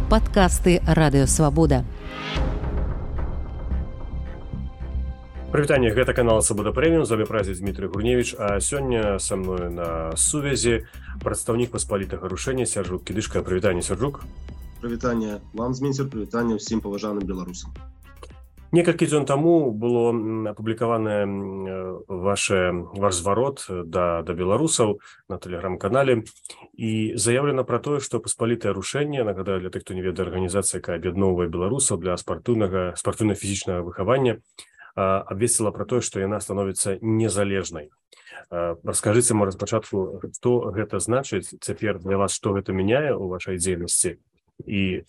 Падкасты Радыёвабода. Прывітанне, гэта канал Свабода Прэміум, з вами празіць Дмітрый Гурневіч, а сёння са мною на сувязі прадстаўнік паспалітага рушэння Сяржук Кідышка. Прывітанне, Сяржук. Прывітанне вам, Зміцер, прывітанне ўсім паважаным беларусам. Некалькі дзён таму было апублікаваны ваш зварот да беларусаў на тэлеграм-канале і заявлена пра тое, што паспалітае рушэнне, нагадаю для тых, хто не ведае, арганізацыя, якая аб'ядноўвае беларусаў для спартыўна-фізічнага выхавання, абвесціла пра тое, што яна становіцца незалежнай. Раскажыце, можа, спачатку, што гэта значыць цяпер для вас, што гэта мяняе ў вашай дзейнасці і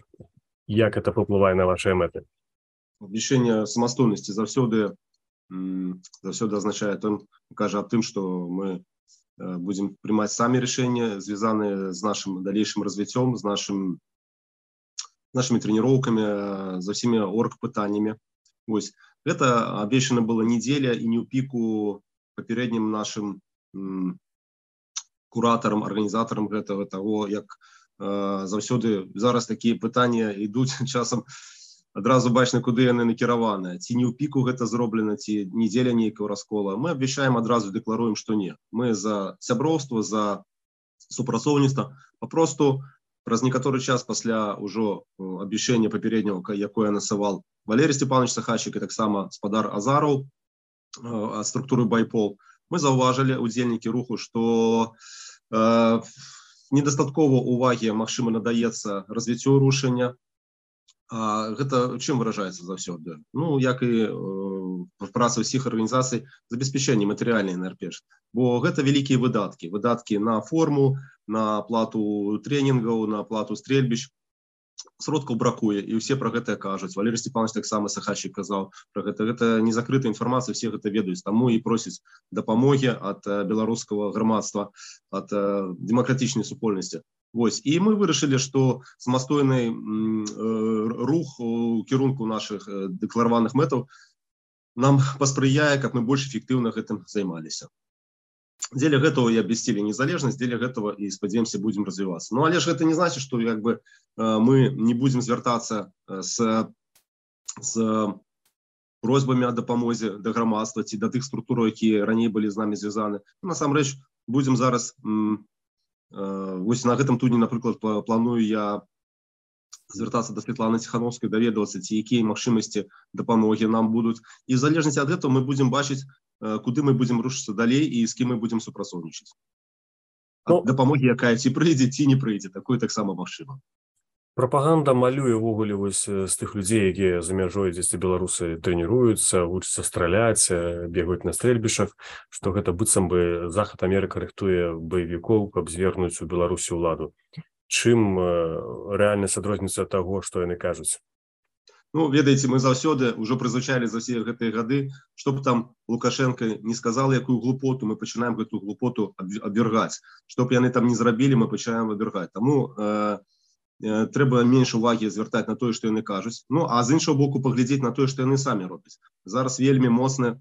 як гэта паўплывае на вашыя мэты? Абвяшчэнне самастойнасці заўсёды азначае, кажа аб тым, што мы будзем прымаць самі рашэнні, звязаныя з нашым далейшым развіццём, з нашымі трэніроўкамі, за ўсімі оргпытаннямі. Вось. Гэта абвешчана была недзеля і не ў піку папярэднім нашым куратарам, арганізатарам гэтага, таго, як заўсёды зараз такія пытанні ідуць часам, адразу бачна, куды яны накіраваныя. Ці не ў піку гэта зроблена, ці недзеля нейкага раскола. Мы абвяшчаем, адразу дэкларуем, што не. Мы за сяброўства, за супрацоўніцтва. Папросту праз некаторы час пасля ўжо абвяшчэння папярэдняго, якое насавал Валерий Степанович Сахачик і таксама спадар Азараў ад структуры Байпол, мы заўважылі, удзельнікі руху, што недастаткова увагі, магчыма, надаецца развіццю рушэння. Гэта чым выражаецца заўсёды? Ну, як і праца ўсіх арганізацый, забеспячэнне матэрыяльнай найперш. Бо гэта вялікія выдаткі. Выдаткі на форму, на плату трэнінгаў, на плату стрельбіч. Сродкаў бракуе, і ўсе пра гэта кажуць. Валерий Степанович таксама Сахачик казаў пра гэта. Гэта не закрытая інфармацыя, все гэта ведаюць. Таму і просяць дапамогі ад беларускага грамадства, ад дэмакратычнай супольнасці. Вось. І мы вырашылі, што самастойны рух у кірунку нашых дэклараваных мэтаў нам паспрыяе, каб мы больш эфектыўна гэтым займаліся. Дзеля гэтага і абвясцілі незалежнасць, дзеля гэтага і, спадзяёмся, будзем развівацца. Ну, але ж гэта не значыць, што мы не будзем звяртацца з просьбамі о дапамозе да грамадства ці да тых структур, якія раней былі з намі звязаны. Насамрэч, будзем зараз вось на гэтым тыдні, напрыклад, планую я звяртацца да Светланы Ціхановскай, даведвацца, ці якія магчымасці дапамогі нам будуць. І в залежнасці ад гэтага мы будзем бачыць, куды мы будзем рушыцца далей і з кім мы будзем супрацоўнічаць. Дапамогі, якая ці прыйдзе, ці не прыйдзе, такое таксама магчыма. Прапаганда малюе ўвогуле вось з тых людзей, якія за мяжой дзесьці беларусы трэніруюцца, вучацца страляць, бегаюць на стрэльбішах, што гэта быццам бы Захад Амерыка рыхтуе баевікоў, каб звергнуць у Беларусі ўладу. Чым рэальнасць адрозніваецца ад таго, што яны кажуць? Ну, ведаеце, мы заўсёды ўжо прызвычайлі за ўсе гэтыя гады, што б там Лукашенко не сказал, якую глупоту, мы пачынаем гэту глупоту абвяргаць. Што б яны там не зрабілі, мы пачынаем абвяргаць. Таму трэба менш увагі звяртаць на тое, што яны кажуць. Ну, а з іншага боку паглядзець на тое, што яны самі робяць. Зараз вельмі моцна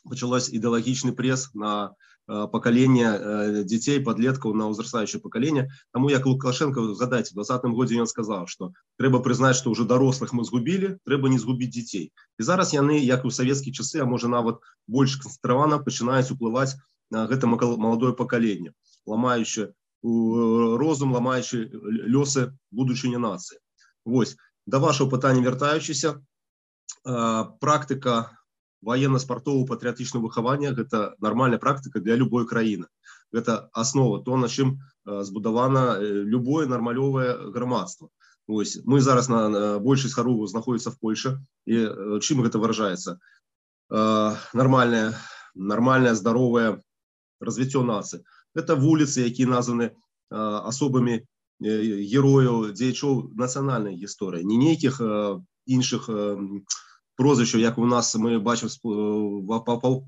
пачалось ідэалагічны прес на пакаленне дзяцей, падлеткаў, на ўзрастаючае пакаленне. Таму як Лукашенко, згадайце, у 2020 годзе ён сказаў, што трэба прызнаць, што ўжо дарослых мы згубілі, трэба не згубіць дзяцей. І зараз яны, як і ў савецкія часы, а можа нават больш канцэнтравана, пачынаюць уплываць на гэта маладое пакаленне, ламаючы розум, ламаючы лёсы будучыні нацыі. Вось, да вашого пытання вяртаючыся, практыка военно-спартового патрыятычнага выхавання – гэта нармальная практыка для любой краіны. Гэта аснова, то, на чым збудавана любое нармалёвае грамадства. Вось, мы зараз на большасць харову знаходзіцца в Польше, і чым гэта выражаецца? Нармальное, здаровае развіццё нацыі. Гэта вуліцы, якія названы асобамі герояў, дзеячоў нацыянальнай гісторыі, не нейкіх іншых прозвішчаў, як у нас мы бачым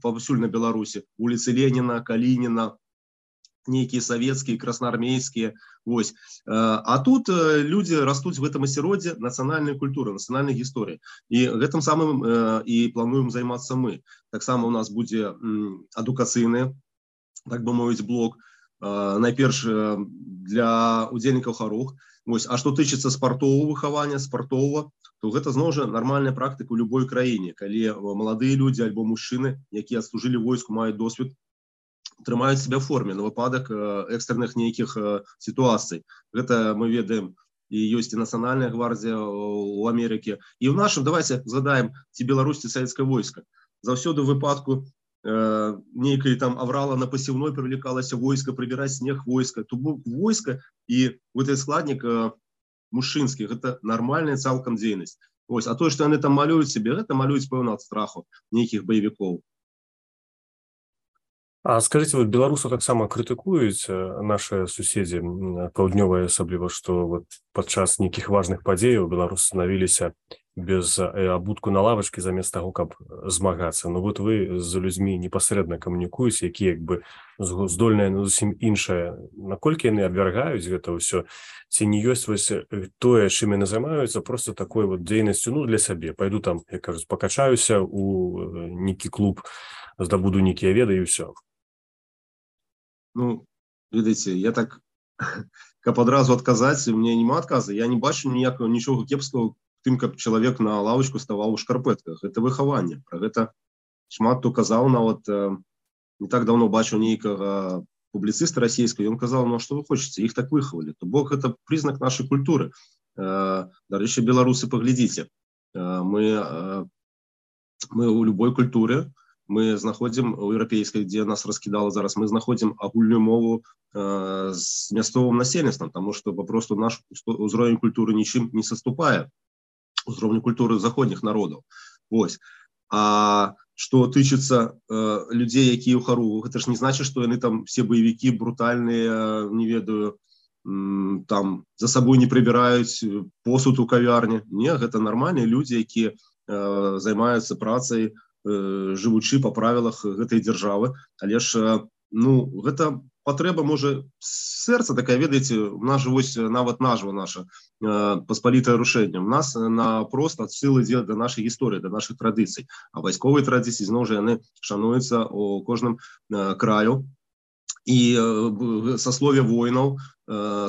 паўсюль на Беларусі. Вуліцы Леніна, Калініна, нейкія савецкія, красноармейскія. Вось. А тут людзі растуць в гэтым асяроддзі нацыянальнай культуры, нацыянальнай гісторыі. І гэтым самым і плануем займацца мы. Таксама у нас будзе адукацыйны, так бы мовіць, блок. Найперш для удзельнікаў харух, Вось. А што тычыцца спартового выхавання, спартового, то гэта зноў жа нармальная практыка ў любой краіне, калі маладыя людзі альбо мужчыны, якія адслужылі войску, маюць досвед, трымаюць себя в форме на выпадак экстренных нейкіх сітуацый. Гэта мы ведаем, і ёсць і нацыянальная гвардія ў Амерыкі. І ў нашым, давайте згадаем, ці Беларусь, ці савецкае войска. Заўсёды в выпадку нейкай там аврала на пасевной привлекалася войска, прыбіраць снег войска. То бок войска і гэты складнік мужчынскі, гэта нармальная цалкам дзейнасць. Вось. А тое, што яны там малююць себе, гэта малююць, пэўна, ад страху нейкіх баевікоў. А скажите, вот беларусаў таксама крытыкуюць наши суседзі паўднёвыя, асабліва, што вот падчас нейкіх важных падзеяў беларусы станавіліся без абутку на лавачкі замест таго, каб змагацца. Ну вот вы з людзьмі непасрэдна камунікуеце, якія як бы здольныя на зусім іншае. Наколькі яны абвяргаюць гэта ўсё? Ці не ёсць вось тое, чым яны займаюцца, просто такой вот дзейнасцю, ну, для сябе. Пайду там, як кажуць, пакачаюся у нейкі клуб, здабуду нейкія веды і ўсё. Ну, ведаеце, я так, каб адразу адказаць, у мяне няма адказа. Я не бачу ніякага нічога кепскага тым, каб чалавек на лавачку ставаў у шкарпэтках. Гэта выхаванне. Пра гэта шмат хто казаў, нават не так даўно бачыў нейкага публіцыста расійскага, ён казаў, ну, што вы хочаце, іх так выхавалі. То бок гэта прызнак нашай культуры. Дарэчы, беларусы, паглядзіце. Мы ў любой культуры, мы знаходзім у еўрапейскай, дзе нас раскідала зараз, мы знаходзім агульную мову з мясцовым насельніцтвам, таму што папросту наш узровень культуры нічым не саступае узроўню культуры заходніх народаў. Вось. А што тычыцца людзей, якія ў харугу, гэта ж не значыць, што яны там все баевікі брутальныя, не ведаю, там за сабой не прыбіраюць посуд у кавярні. Не, гэта нармальныя людзі, якія займаюцца працай, жывучы па правілах гэтай дзяржавы. Але ж, ну, гэта патрэба, можа, сэрца такая, ведаеце, у нас же вось нават назва наша, паспалітае рушэнне. У нас напрост адсыл ідзе да нашай гісторыі, да нашых традыцый. А вайсковыя традыцыі, зноў жа, яны шануюцца у кожным краю. І саслове воінаў,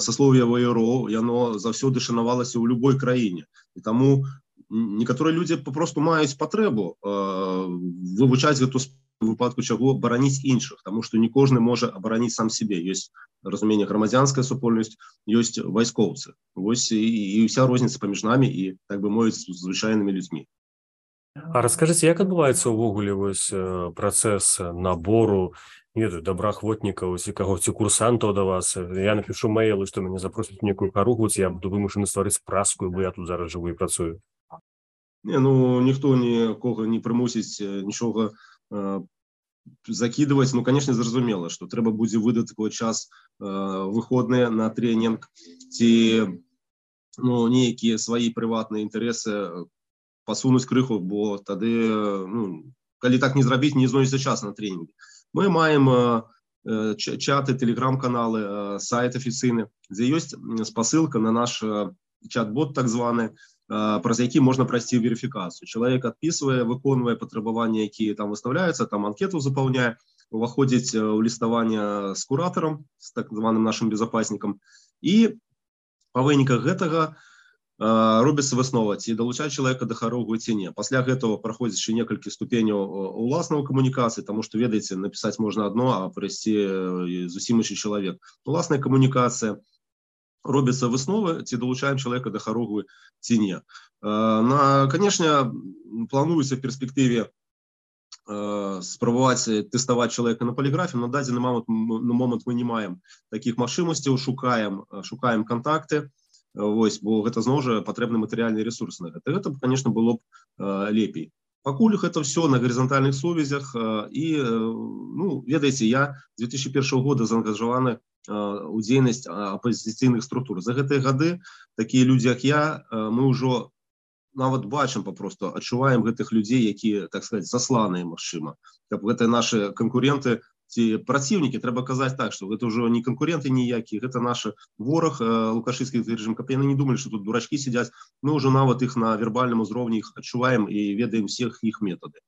саслове ваяроў, яно заўсёды шанавалася ў любой краіне. І таму некаторыя людзі папросту маюць патрэбу вывучаць гэту у выпадку чаго бараніць іншых, таму што не кожны можа абараніць сам сябе. Ёсць разуменне грамадзянская супольнасць, ёсць вайскоўцы. Вось і ўся розніца паміж намі і, так бы мовіць, звычайнымі людзьмі. А раскажыце, як адбываецца ўвогуле вось працэс набору, не ведаю, добраахвотнікаў, ці кагосьці курсантаў да вас? Я напішу мэйлы, што мяне запросяць у нейкую харугу, ці я буду вымушаны стварыць праску, бо я тут зараз жыву і працую. Не, ну, ніхто нікога не прымусіць нічога закидывать. Ну, конечно, зразумела, что трэба будзе выдаткаваць час выходныя на тренінг, ці ну, нейкія свае прыватныя інтарэсы пасунуць крыху, бо тады, ну, калі так не зрабіць, не знойдзецца час на тренінгі. Мы маем чаты, тэлеграм-каналы, сайт афіцыйны, дзе ёсць спасылка на наш чат-бот так званы, праз які можна прайсці верыфікацыю. Чалавек адпісвае, выконвае патрабаванні, якія там выставляюцца, там анкету запаўняе, уваходзіць у ліставанне з куратарам, з так званым нашым безапаснікам, і па выніках гэтага робіцца выснова, ці далучаць чалавека да харугу ці не. Пасля гэтага праходзіць яшчэ некалькі ступеняў уласнай камунікацыі, таму што, ведаеце, напісаць можна адно, а прыйсці зусім іншы чалавек. Уласная камунікацыя, робіцца высновы, ці далучаем чалавека да харугу ці не. Канешне, плануецца в перспектыве спрабаваць тэставаць чалавека на поліграфе. На дадзены момант мы не маем такіх магчымасцяў, шукаем контакты, вось, бо гэта зноў жа патрэбны матэрыяльны ресурс на гэта. Гэта, конечно, было б лепей. Пакуль гэта все на гарызантальных сувязях, і, ну, ведаеце, я з 2001 года заангажаваны у дзейнасць апазіцыйных структур. За гэтыя гады такія людзі, як я, мы ўжо нават бачым, папросту адчуваем гэтых людзей, якія, так сказаць, засланыя, магчыма. Каб гэтыя нашы канкуренты ці праціўнікі, трэба казаць так, што гэта ўжо не канкуренты ніякія, гэта наш вораг, лукашысцкі рэжым, каб яны не думалі, што тут дурачкі сядзяць, мы ўжо нават іх на вербальным узроўні іх адчуваем і ведаем всех іх метады.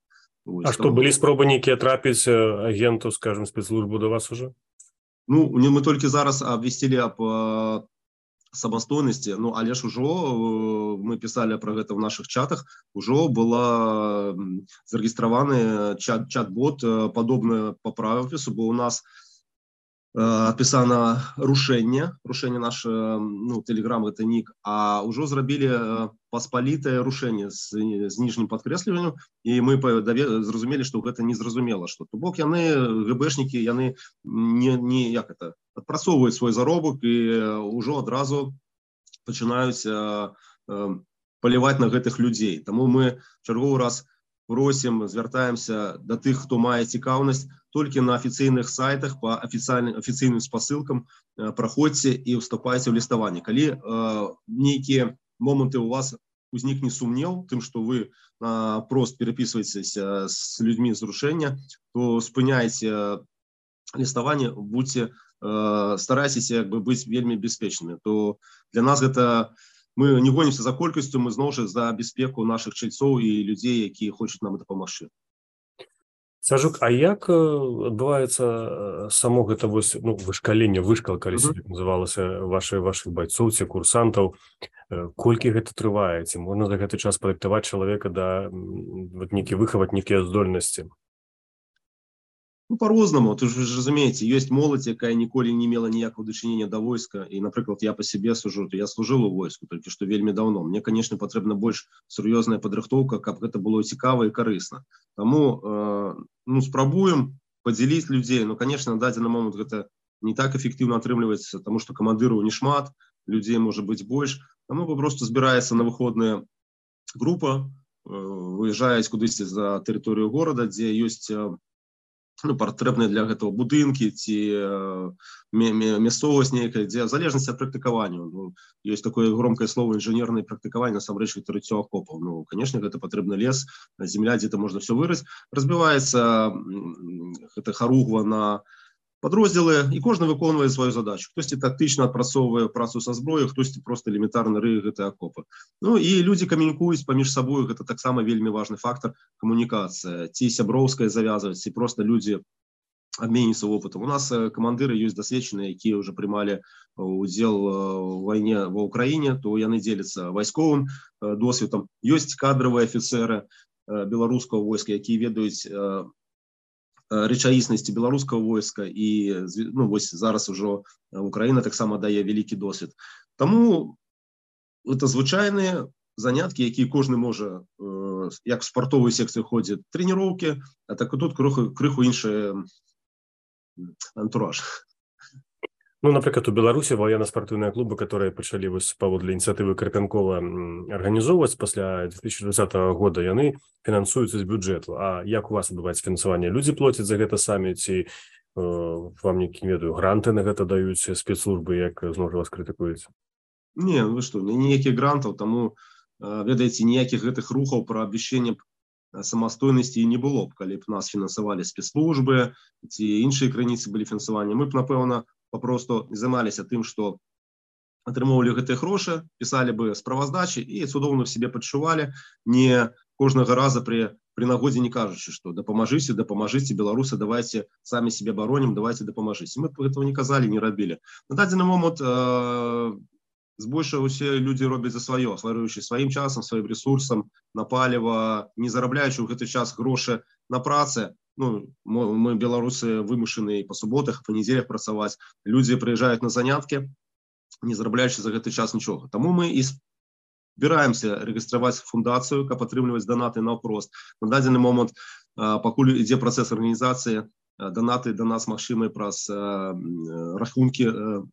А што, былі спробы нейкія трапіць агенту, скажем, спецслужбу до вас уже? Ну, мы толькі зараз абвесцілі аб самастойнасці. Ну але ж ужо мы пісалі пра гэта ў нашых чатах, ужо была зарэгістраваны чат-бот падобны па правапісу, бо ў нас адпісана рушэнне наш, ну, Telegram гэта нік, а ўжо зрабілі паспалітае рушэнне з ніжнім падкрэсліваннем, і мы зразумелі, што гэта незразумела, што то бок яны, ГБшнікі, яны не як это адпрацоўваюць свой заробак і ўжо адразу пачынаюць паліваць на гэтых людзей. Таму мы чарговы раз просім, звяртаемся да тых, хто мае цікаўнасць, толькі на афіцыйных сайтах па афіцыйным спасылкам праходзьце і ўступайце ў ліставанне. Калі нейкія моманты у вас узнікне сумнеў тым, што вы прост перапісваецеся з людзьмі з рушэння, то спыняйце ліставанне, будьце, старайцеся быць вельмі бяспечнымі. То для нас гэта, мы не гонімся за колькасцю, мы зноў жа за бяспеку нашых чальцоў і людзей, якія хочуць нам дапамагчы. Сажук, а як адбываецца само гэта вышкаленне, вышкалка, калі называлася вашых байцоў ці курсантаў? Колькі гэта трывае? Ці можна за гэты час падрыхтаваць чалавека да выхаваць нейкія здольнасці? Ну, по-рознаму, ты ж разумееце, ёсць моладзь, якая ніколі не мела ніякага дачынення да войска, і, напрыклад, я па сябе сужу, я служыў у войску, толькі што вельмі даўно. Мне, канешне, патрэбна больш сур'ёзная падрыхтоўка, каб гэта было цікава і карысна. Таму, спрабуем падзяліць людзей, канешне, на дадзены момант гэта не так эфектыўна атрымліваецца, таму што камандыраў не шмат, людзей можа быць больш, таму папросту збіраецца на выходныя група, выязджаюць кудысьці за тэрыторыю горада, дзе ёсць патрэбныя для гэтага будынкі ці мясцовасць нейкая, дзе в залежнасці ад практыкавання. Ёсць такое громкае слово інжынернае практыкаванне, насамрэч гэта рыццё акопаў. Канешне, гэта патрэбны лес, земля, дзе-то можна все вырыць. Разбіваецца гэта харугва на падроздзелы, і кожны выконвае сваю задачу. Хтосьці тактычна адпрацоўвае працу са зброяй, хтосьці проста элементарна рые гэтыя акопы. І людзі камунікуюць паміж сабою, гэта таксама вельмі важны фактар, камунікацыя. Ці сяброўская завязваць, ці проста людзі абменьваюцца опытам. У нас камандыры ёсць дасведчаныя, якія ўжо прымалі удзел у вайне ва ўкраіне, то яны дзеляцца вайсковым досведам. Ёсць кадравыя афіцэры беларускага войска, якія ведаюць рэчаіснасці беларускага войска, і вось зараз ужо Украіна таксама дае вялікі досвед. Таму гэта звычайныя заняткі, якія кожны можа, як в спартовую секцыю ходзіць трэніроўкі, а так і тут крыху іншы антураж. Напрыклад, у Беларусі военно-спартыўныя клубы, которые пачалі паводле ініцыятывы Карпянкова арганізоўваць пасля 2020 года, яны фінансуюцца з бюджэту. А як у вас адбываецца фінансаванне? Людзі плоцяць за гэта самі, ці вам нейкі, не ведаю, гранты на гэта даюць спецслужбы, як зноў вас крытыкуюць? Не, вы што, ніякіх грантаў, таму, ведаеце, ніякіх гэтых рухаў пра абвяшчэнне самастойнасці не было б, калі б нас фінансавалі спецслужбы, ці іншыя крыніцы былі фінансавання. Мы б, напэўна, папросту займаліся тым, што атрымоўвалі гэтыя грошы, пісалі бы справаздачы і цудоўна сябе пачувалі, не кожнага раза пры нагодзе не кажучы, што дапамажыце, беларусы, давайте самі сябе баронім, давайте дапамажыце. Мы гэтага не казалі, не рабілі. На дадзены момант збольшага усе людзі робяць за сваё, ахваруючы сваім часам, сваім рэсурсам на паліва, не зарабляючы ў гэты час грошы на працы. Мы, беларусы, вымушаны па суботах, па нядзелях працаваць. Людзі прыязджаюць на заняткі, не зарабляючы за гэты час нічога. Таму мы і збіраемся рэгістраваць фундацыю, каб атрымліваць данаты наўпрост. На дадзены момант, пакуль ідзе працэс арганізацыі, данаты да нас магчымыя праз рахункі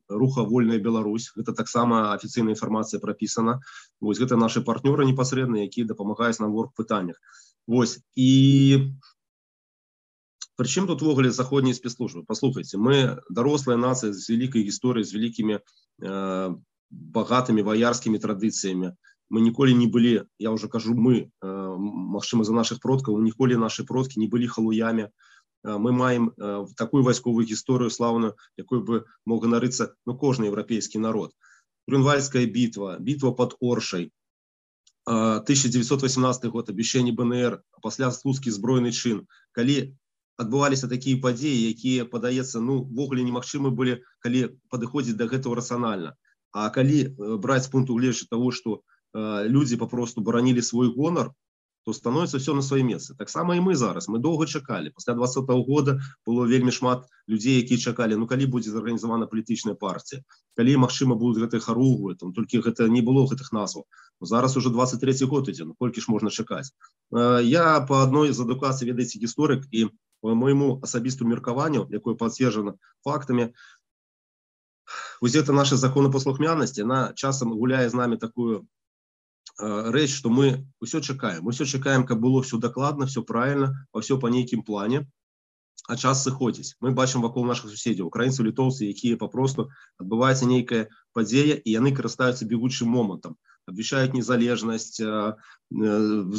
руха «Вольная Беларусь». Гэта таксама афіцыйная інфармацыя прапісана. Вось гэта нашы партнёры непасрэдныя, якія дапамагаюць нам у оргпытаннях. Вось. І прычым тут увогуле заходнія спецслужбы? Паслухайце, мы дарослая нацыя з вялікай гісторыяй, з вялікімі багатымі ваярскімі традыцыямі. Мы ніколі не былі, я ўжо кажу мы, магчыма, за нашых продкаў, ніколі нашы продкі не былі халуямі. Мы маем такую вайсковую гісторыю слаўную, якой бы мог ганарыцца кожны еўрапейскі народ. Грюнвальдская бітва, бітва пад Оршай, 1918 год, абвяшчэнне БНР, а пасля слуцкі збройны чын. Калі адбываліся такія падзеі, якія, падаецца, ввогуле немагчымы былі, калі падыходзіць да гэтага рацыянальна. А калі браць з пункту гледжання того, што людзі папросту баранілі свой гонар, то становіцца все на свае месцы. Таксама і мы зараз. Мы доўга чакалі. Пасля 2020 года было вельмі шмат людзей, якія чакалі, ну калі будзе зарганізавана палітычная партія, калі, магчыма, будуць гэтыя харугвы, там толькі гэта не было гэтых назваў. Зараз уже 23 год ідзе, ну колькі ж можна чакаць. Я па адной з адукацый, ведаеце, гісторык, і по моему асабістому меркаванню, якое пацверджана фактамі, вось гэта наша законапаслухмянасць, яна часам гуляе з намі такую рэч, што мы ўсё чакаем, каб было все дакладна, все правильно, ўсё па нейкім плане, а час сыходзіць. Мы бачым вакол наших суседзяў, украінцаў, літоўцаў, якія папросту адбываецца нейкая падзея, і яны карыстаюцца бегучым момантам, абвяшчаюць незалежнасць,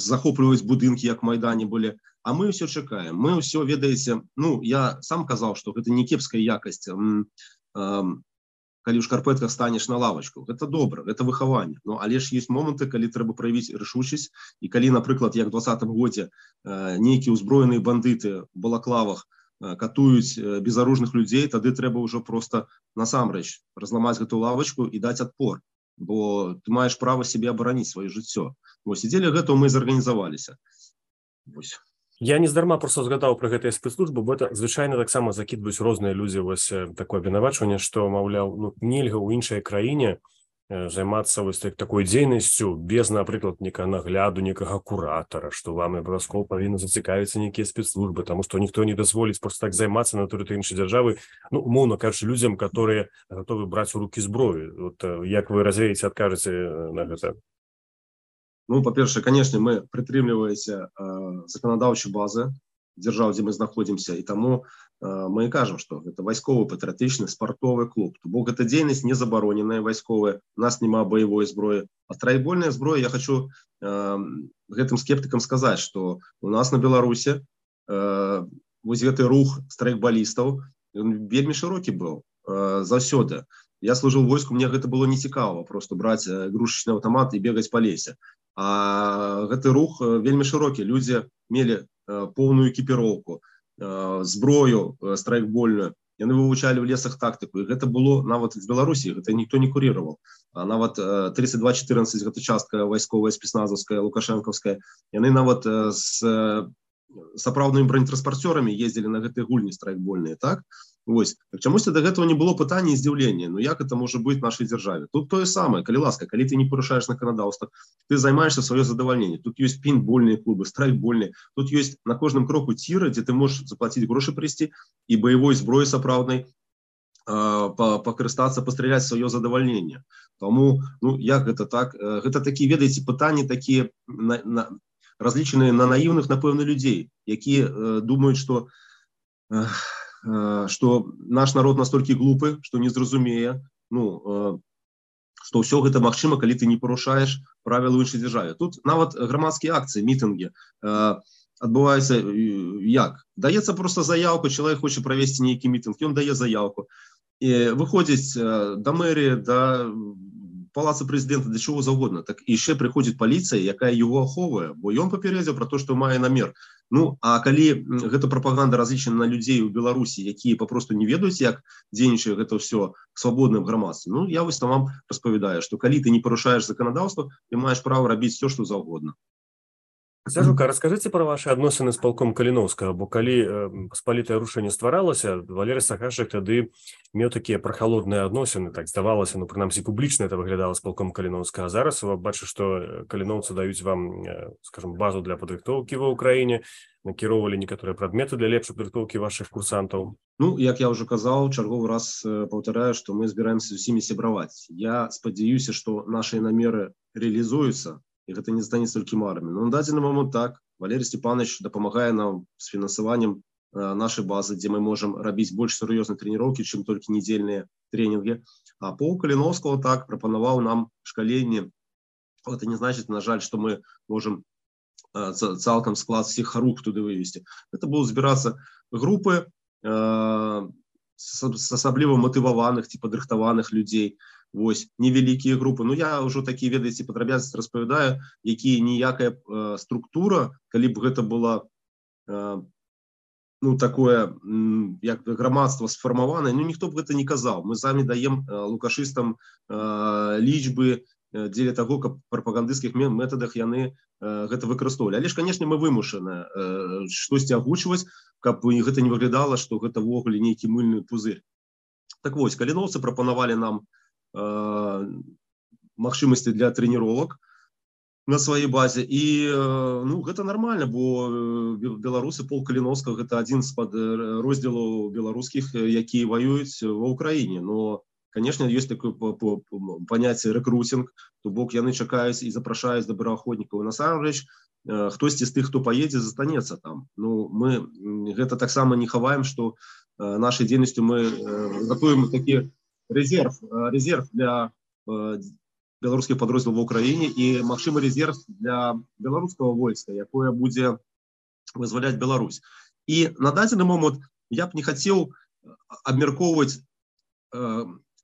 захопліваюць будынкі, як Майдане былі, а мы ўсё чакаем. Мы ўсё, ведаеце, ну, я сам казаў, што гэта не кепская якасць, калі ў шкарпэтках станеш на лавачку. Гэта добра, гэта выхаванне. Ну, але ж ёсць моманты, калі трэба праявіць рашучасць, і калі, напрыклад, як у 2020 годзе нейкія ўзброеныя бандыты в балаклавах катуюць безаружных людзей, тады трэба ўжо проста насамрэч разламаць гэту лавачку і даць адпор, бо ты маеш права сябе абараніць, сваё жыццё. Вось, і дзеля гэтага мы зарганізаваліся. Вось. Я нездарма просто згадаў пра гэтыя спецслужбы, бо это звычайна таксама закідваюць розныя людзі вось такое абвінавачванне, што, маўляў, ну, нельга ў іншай краіне займацца вось такой дзейнасцю без, напрыклад, некага нагляду, некага куратара, што вам абавязкова павінны зацікавіцца нейкія спецслужбы, таму што ніхто не дазволіць проста так займацца на тэрыторыі іншай дзяржавы, ну, умоўна кажучы, людзям, которые гатовы браць у рукі зброю. Вот як вы развееце, адкажаце на гэта? Ну, па-першае, канешне, мы прытрымліваемся заканадаўчай базы дзяржаў, дзе мы знаходзімся, і таму мы кажам, што гэта вайсковы патрыятычны спартовы клуб. То бок гэта дзейнасць не забароненая вайсковая, у нас няма баявой зброі. А страйкбольная зброя, я хочу гэтым скептыкам сказаць, што у нас на Беларусі вось гэты рух страйкбалістаў вельмі шырокі быў заўсёды. Я служыў у войску, мне гэта было нецікава, просто браць игрушечны аўтамат і бегаць па лесе. А гэты рух вельмі шырокі. Людзі мелі поўную экіпіроўку, зброю страйкбольную. Яны вывучалі ў лесах тактыку. І гэта было нават в Беларусі, гэта ніхто не куріраваў. А нават 3214, гэта частка вайсковая, спецназаўская, лукашэнкаўская, яны нават з сапраўднымі бронетранспарцёрамі ездзілі на гэтыя гульні страйкбольныя, так? Вось. Так чамусьці да гэтага не было пытання і здзіўлення. Ну як это можа быць в нашай дзяржаве? Тут тое самае, калі ласка, калі ты не парушаеш заканадаўства, ты займаешься сваё задавальненне. Тут ёсць пейнтбольныя клубы, страйкбольныя. Тут ёсць на кожным кроку ціры, дзе ты можаш заплаціць грошы прыйсці і баявой зброі сапраўднай пакарыстацца, пастраляць сваё задавальненне. Таму, ну як гэта так? Гэта такія, ведаеце, пытанні такія разлічаныя на наіўных, напэўна, людзей, якія думаюць, што наш народ настолькі глупы, што не зразумее, ну, што ўсё гэта магчыма, калі ты не парушаеш правілы ў іншай дзяржаве. Тут нават грамадскія акцыі, мітынгі адбываюцца як? Даецца проста заявку, чалавек хоча правесці нейкі мітынг, ён дае заявку. І выходзіць да мэрыі, да палаца прэзідэнта, да чого заўгодна. Так і яшчэ прыходзіць паліцыя, якая яго ахоўвае, бо ён папярэдзіў пра то, што мае намер. Ну, а калі гэта прапаганда разлічана на людзей у Беларусі, якія папросту не ведаюць, як дзейнічае гэта ўсё к свабодным грамадстве, ну, я вось там вам распавядаю, што калі ты не парушаеш заканадаўства, ты маеш права рабіць все, што заўгодна. Сяжука, раскажыце пра вашы адносіны з палком Каліноўскага, бо калі паспалітае рушэнне стваралася, Валерый Сахашчык тады меў такія прахалодныя адносіны, так здавалася, ну, прынамсі, публічна это выглядала з палком Каліноўскага. А зараз бачу, што каліноўцы даюць вам, скажем, базу для падрыхтоўкі ва ўкраіне, накіроўвалі некаторыя прадметы для лепшай падрыхтоўкі вашых курсантаў. Ну, як я ўжо казаў, чарговы раз паўтараю, што мы збіраемся з усімі сябраваць. Я спадзяюся, што нашыя намеры рэалізуюцца, і гэта не станецца толькі марамі. Но на дадзены момант так, Валерий Степанович дапамагае нам з фінансаваннем нашай базы, дзе мы можам рабіць больш сур'ёзныя трэніроўкі, чым толькі нядзельныя тренінгі. А полк Каліноўскага так прапанаваў нам шкаленне. Гэта не значыць, на жаль, што мы можам цалкам склад всіх харуг туды вывесці. Гэта будуць збірацца групы з асабліва матываваных ці падрыхтаваных людзей. Вось, невялікія групы. Ну, я ўжо такія, ведаеце, падрабязнасці распавядаю, якія ніякая структура, калі б гэта была ну, такое, як грамадства сфармаванае, ну, ніхто б гэта не казаў. Мы самі даем лукашыстам лічбы дзеля таго, каб прапагандысцкіх метадах яны гэта выкарыстоўвалі. Але ж, канешне, мы вымушаны штосьці агучваць, каб гэта не выглядала, што гэта ўвогуле нейкі мыльны пузырь. Так вось, каліноўцы прапанавалі нам магчымасці для трэніровак на сваей базе. І ну, гэта нормально, бо беларусы, полк Каліновскага, гэта адзін з роздзелаў беларускіх, якія ваююць ва ўкраіне. Но, конечно, ёсць такое паняцце рэкрутинг, то бок яны чакаюць і запрашаюць добраахвотнікаў. Насамрэч, хтосьці з тых, хто паедзе, застанецца там. Ну, мы гэта таксама не хаваем, што нашай дзейнасцю мы готуем такі резерв для беларускіх падроздзелаў ва ўкраіне і магчымы резерв для беларускага войска, якое будзе вызваляць Беларусь. І на дадзены момант я б не хацеў абмяркоўваць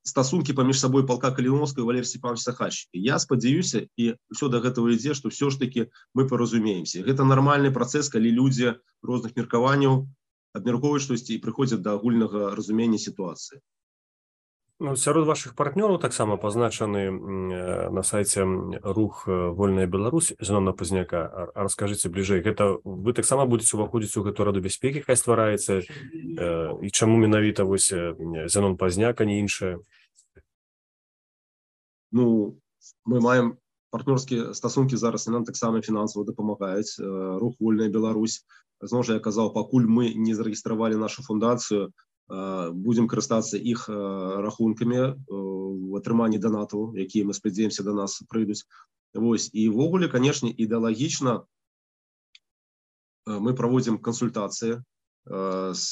стасункі паміж сабой палка Каліновскага і Валерія Степановича Сахальшчыка. Я спадзяюся, і ўсё да гэтага ідзе, што ўсё ж такі мы паразумеемся. Гэта нармальны працэс, калі людзі розных меркаванняў абмяркоўваюць штосьці і прыходзяць да агульнага разумення сітуацыі. Ну, сярод вашых партнёраў таксама пазначаны на сайце рух «Вольная Беларусь» Зенона Пазняка. Раскажыце бліжэй, гэта вы таксама будзеце ўваходзіць у гэтую раду бяспекі, якая ствараецца, і чаму менавіта вось Зенон Пазняк, а не іншае? Ну, мы маем партнёрскія стасункі зараз, і нам таксама фінансава дапамагаюць. Рух «Вольная Беларусь». Зноў жа я казаў, пакуль мы не зарэгістравалі нашу фундацыю, будем карыстацца іх рахункамі в атрыманні донатаў, якія, мы спадзяемся, до нас прыйдуць. Вось. І ввогуле, канешне, ідэалагічна мы праводзім кансультацыі з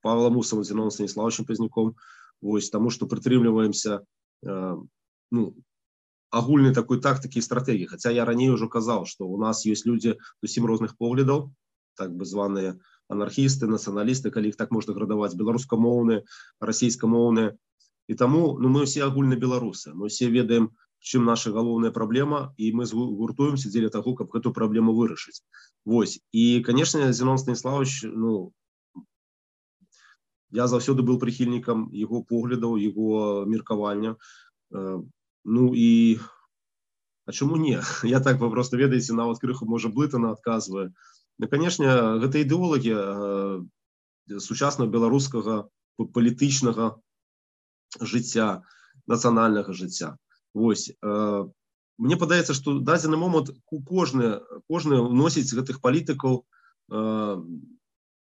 Павлом Усовым, Зеноном Станіславовичем Пазняком, вось, таму што прытрымліваемся ну, агульнай такой тактыкі і стратэгіі. Хаця я раней ужо казаў, што у нас ёсць людзі зусім розных поглядаў, так бы званыя анархісты, нацыяналісты, калі іх так можна градаваць, беларускамоўныя, расійскамоўныя. І таму ну, мы ўсе агульна беларусы. Мы ўсе ведаем, чым наша галоўная праблема, і мы гуртуемся дзеля таго, каб гэту праблему вырашыць. Вось. І, канешне, Зенон Станіславович, ну, я заўсёды быў прыхільнікам яго поглядаў, яго меркавання. Ну і а чаму не? Я так папросту, ведаеце, нават крыху, можа, блытана адказваю. Ну, конечно, гэта ідэолагія сучаснага беларускага палітычнага жыцця, нацыянальнага жыцця. Вось. Мне падаецца, што дадзены момант кожны вносіць гэтых палітыкаў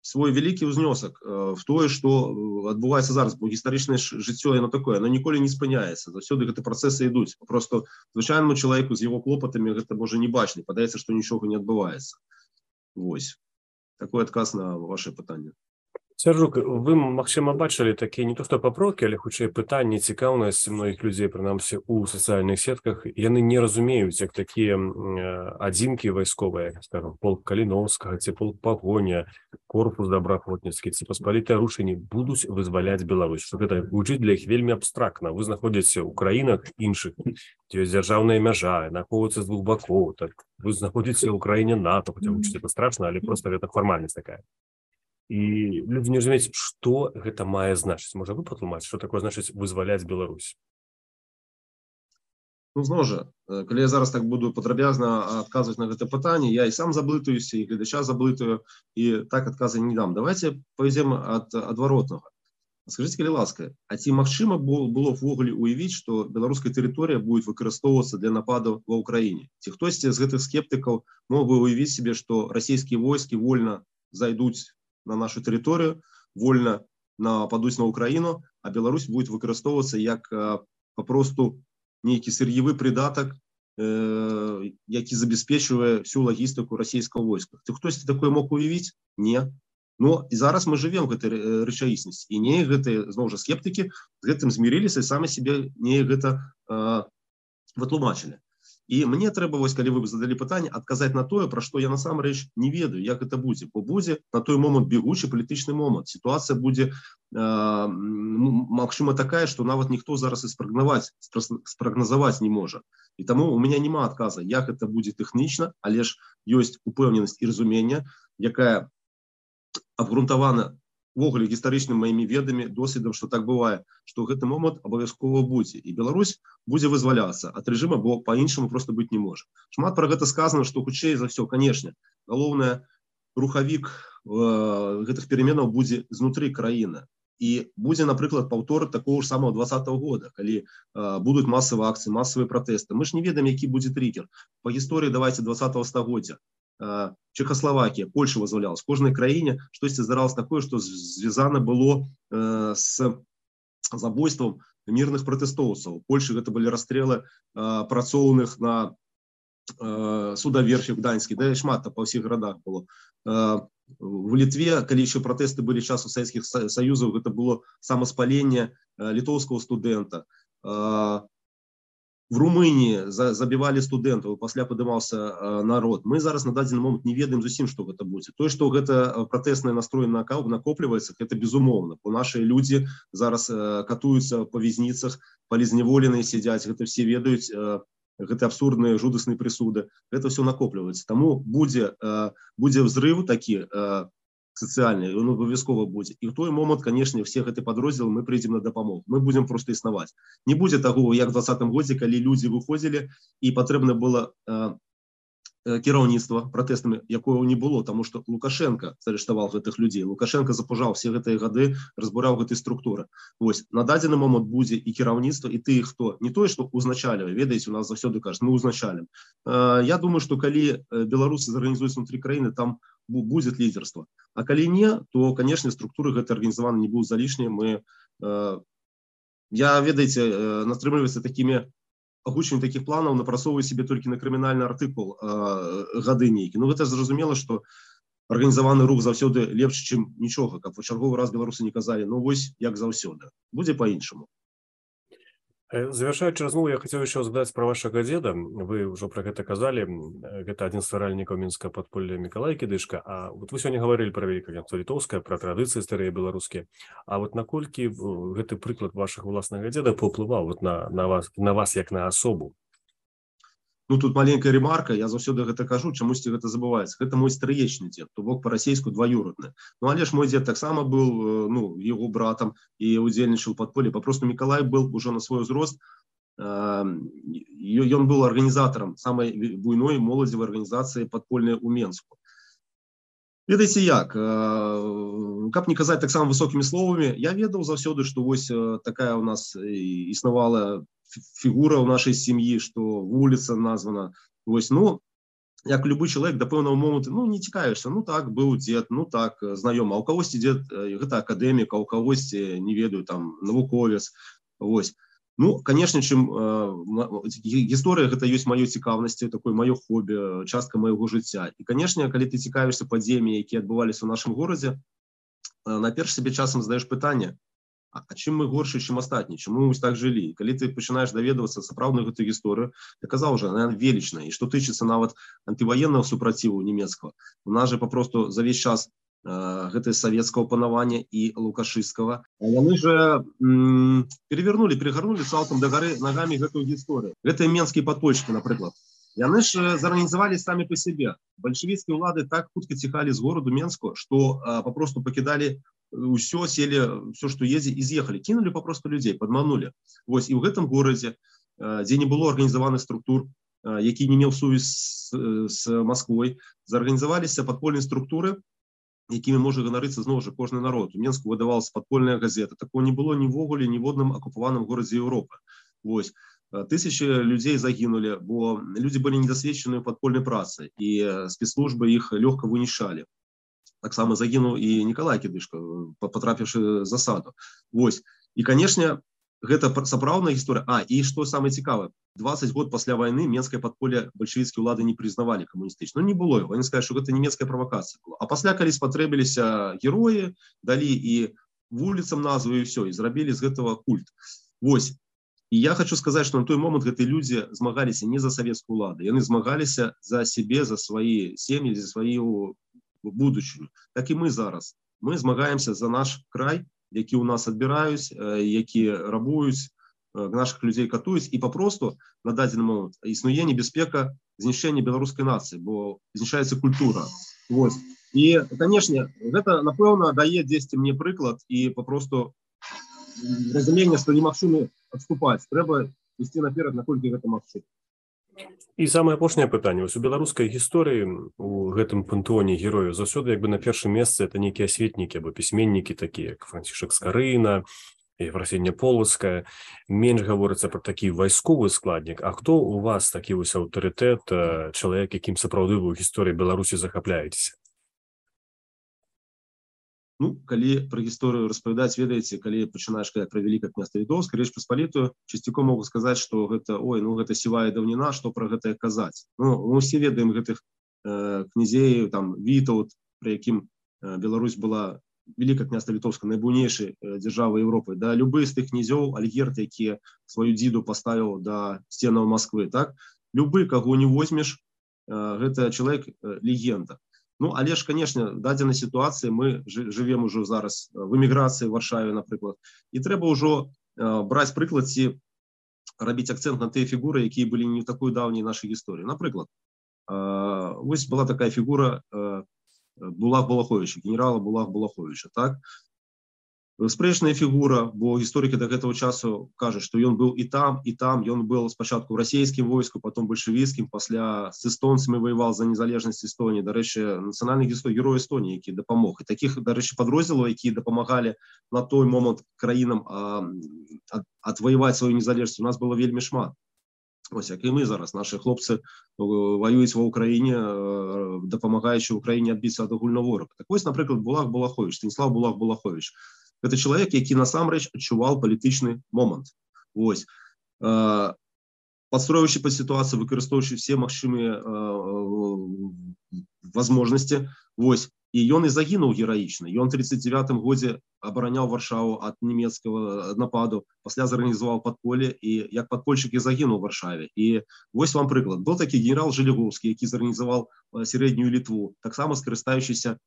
свой вялікі ўзнёсак в тое, што адбываецца зараз, бо гістарычнае жыццё, яно такое, оно ніколі не спыняецца, заўсёды гэты працэсы ідуць. Просто звычайнаму чалавеку з яго клопатамі гэта можа не бачна, падаецца, што нічога не адбываецца. Вось. Такой адказ на ваше пытанне. Сяржук, вы, магчыма, бачылі такія не то што папрокі, але хутчэй пытанні, цікаўнасць многіх людзей, прынамсі, у сацыяльных сетках. Яны не разумеюць, як такія адзінкі вайсковыя, скажам, полк Каліновскага, ці полк Пагоня, корпус добраахвотніцкі, ці паспалітыя рушэнні будуць вызваляць Беларусь. Што гэта гучыць для іх вельмі абстрактна. Вы знаходзіцеся ў краінах іншых, дзе ёсць дзяржаўная мяжа, знаходзіцца з двух бакоў, так вы знаходзіцеся ў краіне НАТО, хаця гучыць гэта страшна, але проста гэта фармальнасць такая. І людзі не разумеюць, што гэта мае значыць. Можа, вы патлумачыць, што такое значыць вызваляць Беларусь? Ну, зноў жа, калі я зараз так буду падрабязна адказваць на гэта пытанне, я і сам заблытаюся, і гледача заблытаю, і так адказы не дам. Давайте пойдзем ад адваротнага. Скажыце, калі ласка, а ці магчыма было ввогуле уявіць, што беларуская тэрыторыя будзе выкарыстоўвацца для нападаў ва ўкраіне? Ці хтосьці з гэтых скептыкаў мог бы уявіць себе, што расійскія войскі вольна зайдуць на нашу тэрыторыю, вольна нападуць на Украіну, а Беларусь будет выкарыстоўвацца як папросту нейкі сыр'евы прыдатак, які забяспечвае всю лагістыку расійскага войска. Ці хтосьці такое мог уявіць? Не. Но і зараз мы жывем гэтай рэчаіснасці. І не гэтыя, зноў жа, скептыкі з гэтым змірыліся і самі себе не гэта вытлумачылі. І мне трэба, вось, калі вы задалі пытанне, адказаць на тое, пра што я насамрэч не ведаю, як гэта будзе. Бо будзе на той момант бегучы палітычны момант. Сітуацыя будзе, магчыма, такая, што нават ніхто зараз і спрагназаваць не можа. І таму у меня няма адказа, як гэта будзе тэхнічна, але ж ёсць упэўненасць і разуменне, якая абгрунтавана увогуле гістарычным маімі ведамі, досведам, што так бывае, што гэты момант абавязкова будзе. І Беларусь будзе вызваляцца ад рэжыма, бо па-іншаму проста быць не можа. Шмат пра гэта сказана, што хутчэй за ўсё, канешне, галоўнае, рухавік гэтых пераменаў будзе знутры краіны. І будзе, напрыклад, паўтор такого ж самого 20-го года, калі будуць масавыя акцыі, масавыя пратэсты. Мы ж не ведаем, які будзе триггер. Па гісторыі, давайте, 20-го стагоддзя. Чехословакія, Польша вызвалялась. В кожнай краіне штосьці здаралася такое, што звязана было з забойствам мірных пратэстоўцаў. У Польшы гэта былі расстрэлы працоўных на судаверфі в Гданьскі, да і шмат па ўсіх гарадах было. В Літве, калі еще пратэсты былі часу Савецкіх Саюзаў, гэта было самаспаленне літоўскага студэнта. В Румынии забивали студентов, пасля падымаўся народ. Мы зараз на дадзены момант не ведаем зусім, што гэта будзе. Тое, што гэта пратэсны настрой накопліваецца, гэта безумоўна. Бо нашыя людзі зараз катуюцца па вязніцах, палізняволеныя сядзяць, гэта все ведаюць, гэта абсурдныя, жудасныя прысуды. Гэта все накопліваецца. Таму будзе взрыв такі сацыяльны, ён абавязкова будзе. І ў той момант, канешне, все гэты падроздзелы мы прыйдзем на дапамогу. Мы будзем проста існаваць. Не будзе таго, як в 20-м годзе, калі людзі выходзілі і патрэбна было кіраўніцтва пратэстамі, якое не было, таму што Лукашенко зарыштаваў гэтых людзей. Лукашенко запужаў все гэтыя гады, разбураў гэтай структуры. Вось, на дадзены момант будзе і кіраўніцтва, і тых, хто не тое, што узначальвае, ведаеце, у нас заўсёды кажуць, мы узначалім. Я думаю, што калі беларусы зарганізуюць внутры краіны, там будет лидерство. А калі не, то, конечно, структуры гэтай арганізаваны не будуць залішнія. Я, ведаеце, настрымліваецца такімі агучваннем таких планаў, напрацоўваю себе толькі на крымінальны артыкул гады нейкі. Ну, гэта зразумела, што арганізаваны рух заўсёды лепш, чым нічога, каб у чарговы раз беларусы не казалі, ну вось як заўсёды. Будзе по-іншаму. Завершаючы размову, я хацеў яшчэ задаць пра вашага дзеда. Вы ўжо пра гэта казалі. Гэта адзін з стваральнікаў мінскага падполля Мікалай Кідышка. А вот вы сёння гаварылі пра вялікае княства літоўскае, пра традыцыі старыя беларускія. А вот наколькі гэты прыклад вашага ўласнага дзеда паўплываў вот на вас як на асобу? Ну, тут маленькая ремарка, я заўсёды гэта кажу, чамусьці гэта забываецца. Гэта мой стрыечны дзед, то бок па-расейску дваюродны. Ну, але ж мой дзед таксама быў, ну, яго братам і удзельнічаў у падполлі. Папросту Мікалай был ужо на свой узрост. Ён быў арганізатарам самай буйной моладзевай арганізацыі падпольнай у Менску. Ведаеце як, каб не казаць таксама высокімі словамі, я ведаў заўсёды, што вось такая у нас існавала фігура ў нашай сям'і, што вуліца названа. Вось, ну, як любы чалавек да пэўнага моманту, ну, не цікавішся, ну так, быў дзед, ну так, знаёмы. А ў кагосьці дзед, гэта акадэмік, а ў кагосьці, не ведаю, там, навуковец. Вось. Ну, канешне, чым гісторыя гэта ёсць маёй цікаўнасці, такое маё хобі, частка майго жыцця. І, канешне, калі ты цікавішся падзеямі, якія адбываліся ў нашым горадзе, наперш сабе часам задаеш пытанне, а чым мы горшы, чым астатні, чаму мы так жылі? Калі ты пачынаеш даведвацца сапраўдную гэтую гісторыю, я казаў уже, она велічная. І што тычыцца нават антываеннага супраціву нямецкага, у нас же папросту за весь час гэта савецкага панавання і лукашысцкага. Яны же перегарнули цалкам да гары нагамі гэтую гісторыю. Гэтыя менскія падпольшчыкі, напрыклад. Яны ж зарганізавалі самі па сябе. Бальшавіцкія ўлады так хутка ціхалі з гораду Менску, што папросту пакідалі ўсё, селі ўсё, што едзе, і з'ехалі. Кінулі папросту людзей, падманулі. Вось, і ў гэтым горадзе, дзе не было арганізаваных структур, які не меў сувязь з Масквой, зарганізаваліся падпольныя структуры, якімі можа ганарыцца зноў жа кожны народ. У Менску выдавалася падпольная газета. Такого не было нівогуле ні в одным акупаваным горадзе Еўропы. Вось. Тысячи людей загінулі, бо людзі былі недасведчаны ў падпольнай працы, і спецслужбы іх лёгка вынішалі. Таксама загінуў і Мікалай Кідышка, патрапіўшы в засаду. Вось. І, канешне, гэта сапраўдная гісторыя. І што самае цікавае, 20 год пасля вайны менскае падполле бальшавіцкія ўлады не прызнавалі камуністычна. Ну, не было яго. Яны сказалі, што гэта нямецкая правакацыя была. А пасля, калі спатрэбіліся героі, далі і вуліцам назву, і ўсё, і зрабілі з гэтага культ. Вось. І я хочу сказаць, што на той момант гэтыя людзі змагаліся не за савецкую ўладу, яны змагаліся за сябе, за свае сем'і, за сваю будучыню. Так і мы зараз. Мы змагаемся за наш край, які ў нас адбіраюць, які рабуюць, наших людзей катуюць, і папросту на дадзены момант існуе небяспека знішчэння беларускай нацыі, бо знішчаецца культура. Вось. І, канешне, гэта, напэўна, дае дзесьці мне прыклад і папросту разуменне, што немагчыма адступаць. Трэба ісці наперад, наколькі гэта магчыма. І самае апошняе пытанне. Вось у беларускай гісторыі у гэтым пантэоне герояў заўсёды як бы на першым месцы это нейкія асветнікі або пісьменнікі такія, як Францішак Скарына, Ефрасіння Полацкая. Менш гаворыцца пра такі вайсковы складнік. А хто у вас такі вось аўтарытэт, чалавек, якім сапраўды вы ў гісторыі Беларусі захапляецеся? Ну, калі пра гісторыю распавядаць, ведаеце, калі пачынаеш казаць пра Вялікае княства Літоўскае, Рэч Паспалітую, часцяком могу сказаць, што гэта, гэта сівая даўніна, што пра гэтае казаць. Ну, мы ўсе ведаем гэтых князей, там, Вітаўт, пры якім Беларусь была Вялікае княства Літоўскае найбуйнейшай дзяржавай Еўропы. Да любы з тых князёў, Альгерд, які сваю дзіду паставіў да сценаў Масквы, так? Любы, каго не возьмеш, гэта чалавек легенда. Ну, але ж, канешне, в дадзенай сітуацыі мы жывем ужо зараз в эміграцыі в Варшаве, напрыклад. І трэба ўжо браць прыклад ці рабіць акцэнт на тыя фігуры, якія былі не такой даўняй нашай гісторыі. Напрыклад, вось была такая фігура Булах Балаховича, генерала Булах Балаховича, так? Спрэчная фігура, бо гісторыкі да гэтага часу кажуць, што ён быў і там, ён быў спачатку ў расійскім войску, потом бальшавіцкім, пасля з эстонцамі воевал за незалежнасць Эстоніі, дарэчы, нацыянальны герой Эстоніі, які дапамог. І такіх, дарэчы, падроздзелаў, якія дапамагалі на той момант краінам адваяваць сваю незалежнасць, у нас было вельмі шмат. Ось, як і мы зараз, нашы хлопцы воююць ва ўкраіне, дапамагаючы ўкраіне адбіцца ад агульнага ворага. Так вось, напрыклад, Булах Балахович, Станіслав Булах Балахович. Гэта чалавек, які насамрэч адчуваў палітычны момант. Вось. Падстроіўшы пад сітуацыю, выкарыстоўваючы все магчымыя возможности. Вось. І ён і загінуў гераічна. Ён у 39-м годзе абараняў Варшаву ад нямецкага нападу, пасля зарганізаваў падполле і як падпольшчык і загінуў у Варшаве. І вось вам прыклад. Быў такі генерал Жалеговскі, які зарганізаваў сярэднюю Літву, таксама скарыстаючыся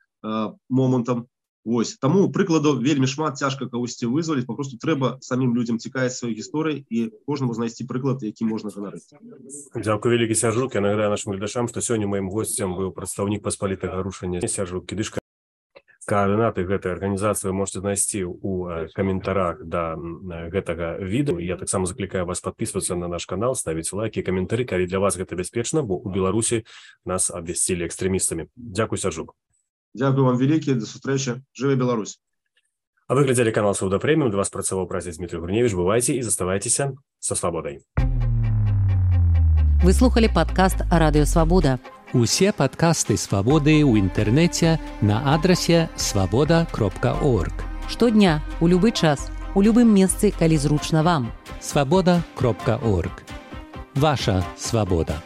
момантам. Вось. Таму прыкладаў вельмі шмат, цяжка кагосьці вызваліць, папросту трэба самім людзям цікавіць сваёй гісторыі і кожнаму знайсці прыклад, які можна ганарыцца. Дзякуй вялікі, Сяржук. Я нагадаю нашым гледачам, што сёння маім госцем быў прадстаўнік паспалітага рушання Сяржук Кідышка. Координаты гэтай арганізацыі вы можете знайсці ў каментарах да гэтага відэа. Я таксама заклікаю вас падпісвацца на наш канал, ставіць лайки, каментары, калі для вас гэта бяспечна, бо ў Беларусі нас абвясцілі экстрэмістамі. Дзякуй, Сяржук. Дзякуй вам вялікі, да сустрэчы. Жыве Беларусь. А вы глядзелі канал Свабода Прэміум. Для вас працаваў празніц Дмітрый Гурневіч. Бывайце і заставайцеся са свабодай. Вы слухали падкаст Радыё Свабода. Усе падкасты Свабоды ў інтэрнэце на адрасе свабода.орг. Штодня, у любы час, у любым месцы, калі зручна вам. Свабода.орг. Ваша свабода.